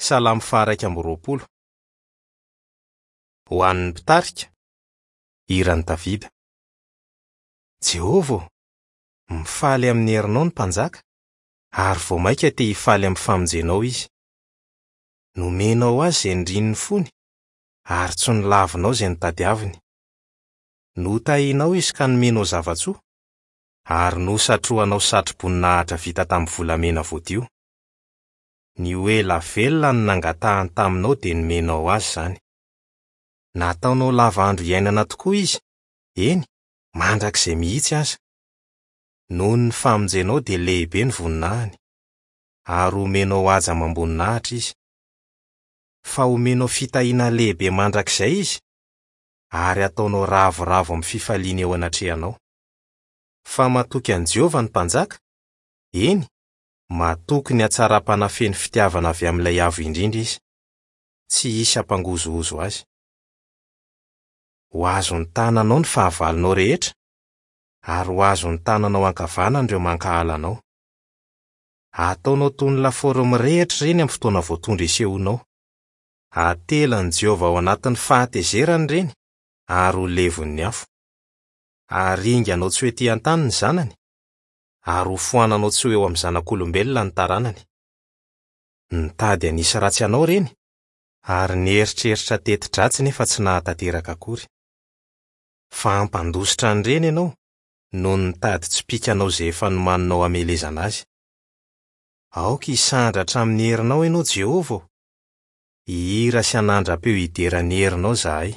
Salamo faha-21. Ho an'ny mpitarika, hiran'i Davida. Jehovah ô, mifaly amin'ny herinao ny mpanjaka, ary vao mainka te hifaly amin'ny famonjenao izy. Nomenao azy izay nirian'ny fony, ary tsy nolavinao izay notadiaviny. Notahinao izy ka nomenao zava-tsoa, ary nosatrohanao satroboninahitra vita tamin'ny volamena voadio. Ny ho ela velona no nangatahany taminao dia nomenao azy izany. Nataonao lava andro iainana tokoa izy, eny, mandrakizay mihitsy aza. Noho ny famonjenao dia lehibe ny voninahiny, ary homenao haja amam-boninahitra izy. Fa homenao fitahiana lehibe mandrakizay izy, ary hataonao ravoravo amin'ny fifaliana eo anatrehanao. Fa matoky an'i Jehovah ny mpanjaka, eny, matoky ny hatsaram-panahy feno fitiavana avy amin'ilay Avo Indrindra izy. Tsy hisy hampangozohozo azy. Ho azon'ny tananao ny fahavalonao rehetra, ary ho azon'ny tananao ankavanana ireo mankahala anao. Hataonao toy ny lafaoro mirehitra ireny amin'ny fotoana voatondro hisehoanao. Hatelan'i Jehovah ao anatin'ny fahatezerany ireny, ary ho levon'ny afo. Haringanao tsy ho etỳ an-tany ny zanany, ary hofoananao tsy ho eo amin'ny zanak'olombelona ny taranany. Nitady hanisy ratsy anao ireny, ary nieritreritra teti-dratsy nefa tsy nahatanteraka akory. Fa hampandositra an'ireny ianao, noho ny tady tsipìka anao izay efa nomaninao hamelezana azy. Aoka hisandratra amin'ny herinao ianao, Jehovah ô! Hihira sy hanandra-peo hidera ny herinao izahay.